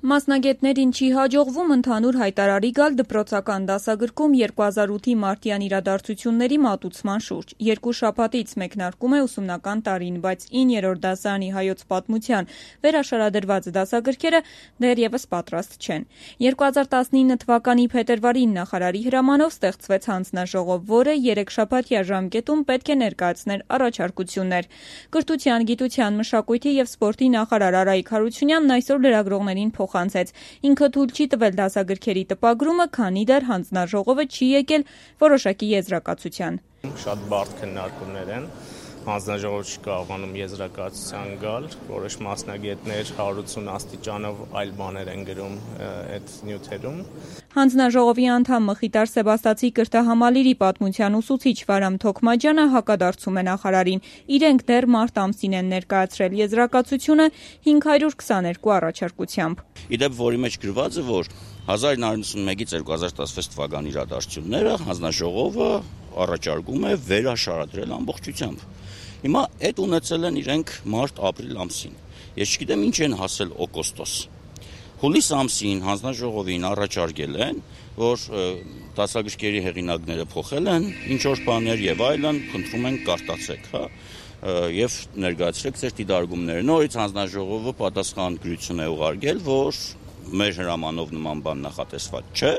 Մասնագետներին չի հաջողվում ընդհանուր հայտարարի գալ դպրոցական դասագրքում 2008-ի մարտյան իրադարձությունների մատուցման շուրջ։ 2 շաբաթից մեկնարկում է ուսումնական տարին, բայց 9-րդ դասարանի հայոց պատմության վերաշարադրված դասագրքերը դեռևս պատրաստ չեն։ 2019 թվականի փետրվարին նախարարի հրամանով ստեղծվեց հանձնաժողով, որը 3 շաբաթյա ժամկետում պետք է ներկայացներ առաջարկություններ։ Կրթության, գիտության, մշակույթի և սպորտի նախարար Արայիկ Հարությունյանն այսօր լրագրողներին փոխանցեց։ Ինքը թույլ չի տվել դասագրքերի տպագրումը, քանի դեռ հանձնաժողովը չի եկել որոշակի եզրակացության։ Շատ բարդ քննարկումներ են, հանձնաժողովը չի կարողանում եզրակացության գալ, որոշ մասնագետներ 180 աստիճանով այլ բաներ են գրում այդ նյութերում։ Հանձնաժողովի անդամ Մխիտար Սեբաստացի կրթահամալիրի պատմության ուսուցիչ Վարամ Թոքմաջյանը հակադարձում է նախարարին։ Իրենք դեռ մարտ ամսին են ներկայացրել եզրակացությունը 522 առաջարկությամբ։ Իդեպ, որի մեջ գրված է, որ 1991-ից 2016 թվականի իրադարձությունները հանձնաժողովը առաջարկում է վերաշարադրել ամբողջությամբ։ Հիմա այդ ունեցել են իրենք մարտ-ապրիլ ամսին։ Ես չգիտեմ ինչ են հասել օգոստոս։ Հուլիս ամսին հանձնաժողովին առաջարկել են, որ դասագրքերի հեղինակները փոխել են ինչ-որ բաներ եւ այլն, խնդրում են կարտացեք, եւ ներկայացրեք ձեր դիտարկումները։ Նորից հանձնաժողովը պատասխան գրություն է ուղարկել, որ մեր հրամանով նման բան նախատեսված չէ,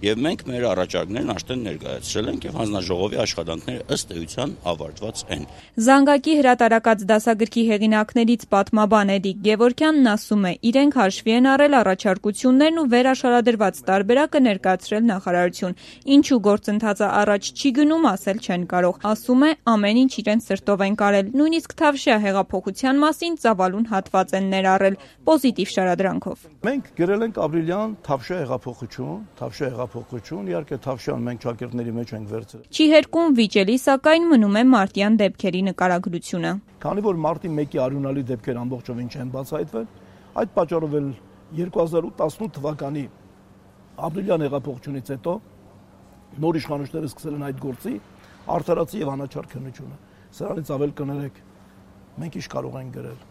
եւ մենք մեր առաջարկներն արդեն ներկայացրել ենք եւ հանձնաժողովի աշխատանքները ըստ էության ավարտված են։ Զանգակի հրատարակած դասագրքի հեղինակներից պատմաբան Էդիկ Գևորգյանն ասում է, իրենք հաշվի են առել առաջարկություններն ու վերաշարադրված տարբերակը ներկայացրել նախարարություն։ Ինչու գործընթացը առաջ չի գնում, ասել չեն կարող։ Ասում է, ամեն ինչ իրենց սրտով են կարել, նույնիսկ Թավշյա հեղափոխության մասին ծավալուն հատված են ներառել պոզիտիվ շարադրանքով։ Մենք գրել ենք ապրիլյան Թավշյա հեղափոխություն, իհարկե Թավշյան մենք ճակերտների մեջ ենք վերցրել։ Չի հերկում վիճելի, սակայն մնում է մարտյան դեպքերի նկարագրությունը։ Քանի որ մարտի 1-ի արյունալի դեպքեր ամբողջովին չեն բացահայտվել, այդ պատճառով էլ 2018 թվականի ապրիլյան հեղափոխությունից հետո նոր իշխանությունները սկսել են այդ գործի արդարացի եւ անաչառ քննությունը։ Սրանից ավել կներեք, մենք ինչ կարող ենք գրել։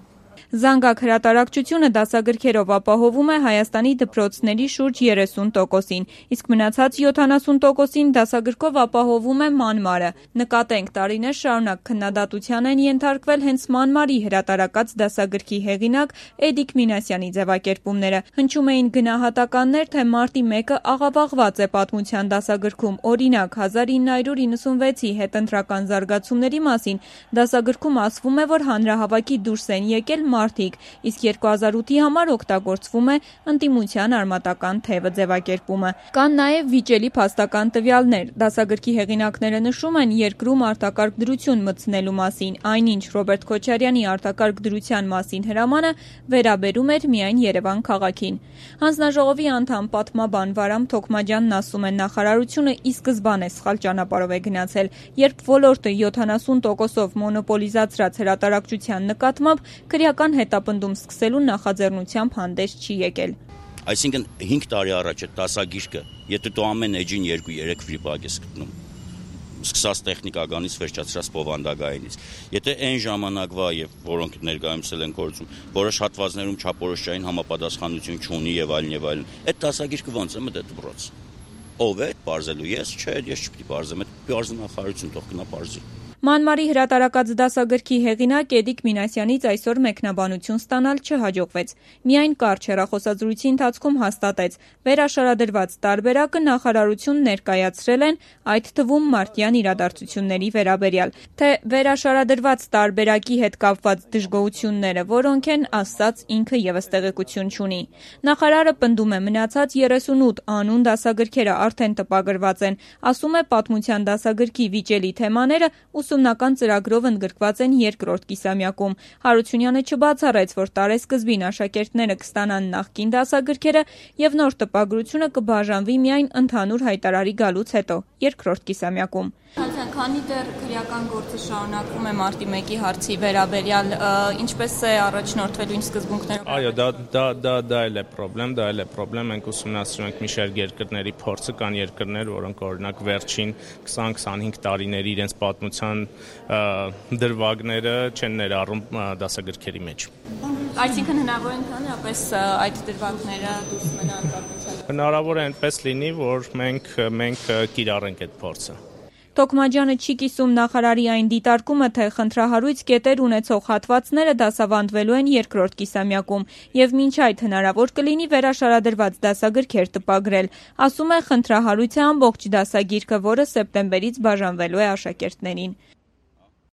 Զանգակ հրատարակչությունը դասագրքերով ապահովում է Հայաստանի դպրոցների շուրջ 30%-ին, իսկ մնացած 70%-ին դասագրքով ապահովում է Մանմարը։ Նկատենք, տարիներ շարունակ քննադատության են ենթարկվել հենց Մանմարի հրատարակած դասագրքի հեղինակ Էդիկ Մինասյանի ձևակերպումները։ Հնչում էին գնահատականներ, թե մարտի 1-ը աղավաղված է պատմության դասագրքում։ Օրինակ, 1996-ի հետընտրական զարգացումների մասին դասագրքում ասվում է, որ հանրահավաքի դուրս են եկել մարդիկ, իսկ 2008-ի համար օգտագործվում է ընդդիմության արմատական թևը ձևակերպումը։ Կան նաև վիճելի փաստական տվյալներ։ Դասագրքի հեղինակները նշում են երկրում արտակարգ դրություն մտցնելու մասին, այնինչ Ռոբերտ Քոչարյանի արտակարգ դրության մասին հրամանը վերաբերում էր միայն Երևան քաղաքին։ Հանձնաժողովի անդամ պատմաբան Վարամ Թոքմաջյանն ասում է, նախարարությունը ի սկզբանե սխալ ճանապարհով է գնացել, երբ ոլորտը 70%-ով մոնոպոլիզացրած հրատարակչության նկատմամբ քրեական հետապնդում սկսելու նախաձեռնությամբ հանդես չի եկել։ Այսինքն 5 տարի առաջ այդ դասագիրքը, եթե դու ամեն էջին 2-3 վիպակ ես գտնում, սկսած տեխնիկականից վերջացրած բովանդակայինից, եթե այն ժամանակվա եւ որոնք ներկայացել են գործում, որոշ հատվածներում չափորոշային համապատասխանություն չունի եւ այլն, այդ դասագիրքը ոնց է մտել դպրոց։ Ով է բարձելու ես, չէ, ես չպիտի բարձեմ, այդ բարձնախարություն թող գնա բարձի։ Մանմարի հրատարակած դասագրքի հեղինակ Էդիկ Մինասյանից այսօր մեկնաբանություն ստանալ չհաջողվեց։ Միայն կարճ հեռախոսազրույցի ընթացքում հաստատեց, վերաշարադրված տարբերակը նախարարություն ներկայացրել են, այդ թվում մարտյան իրադարձությունների վերաբերյալ, թե վերաշարադրված տարբերակի հետ կապված դժգոհությունները որոնք են, ասած ինքը ևս տեղեկություն չունի։ Նախարարը պնդում է, մնացած 38 անուն դասագրքերը արդեն տպագրված են, ասում է պատմության դասագրքի վիճելի թեմաները ուսումնական ծրագրով ընդգրկված են երկրորդ կիսամյակում։ Հարությունյանը չբացառեց, որ տարեսկզբին աշակերտները կստանան նախկին դասագրքերը եւ նոր տպագրությունը կբաժանվի միայն ընդհանուր հայտարարի գալուց հետո, երկրորդ կիսամյակում։ Քանի դեռ քրեական գործը շարունակվում է մարտի 1-ի հարցի վերաբերյալ, ինչպես է առաջնորդվելու ինչ սկզբունքներով։ Այո, դա էլ է պրոբլեմ, մենք ուսումնասիրում ենք մի շարք երկրների փորձը, կան երկրներ, որոնք օրինակ վերջին 20-25 տարիների իրենց պատմության նման դրվագները չեն ներառում դասագրքերի մեջ։ Այսինքն հնարավոր է ընդհանրապես այդ դրվագները դուրս մնան պատմության։ Հնարավոր է այնպես լինի, որ մենք կիրառենք այդ փորձը։ Թոքմաջյանը չի կիսում նախարարի այն դիտարկումը, թե խնդրահարույց կետեր ունեցող հատվածները դասավանդվելու են երկրորդ կիսամյակում եւ մինչ այդ հնարավոր կլինի վերաշարադրված դասագրքեր տպագրել։ Ասում է, խնդրահարույց է ամբողջ դասագիրքը, որը սեպտեմբերից բաժանվելու է աշակերտներին։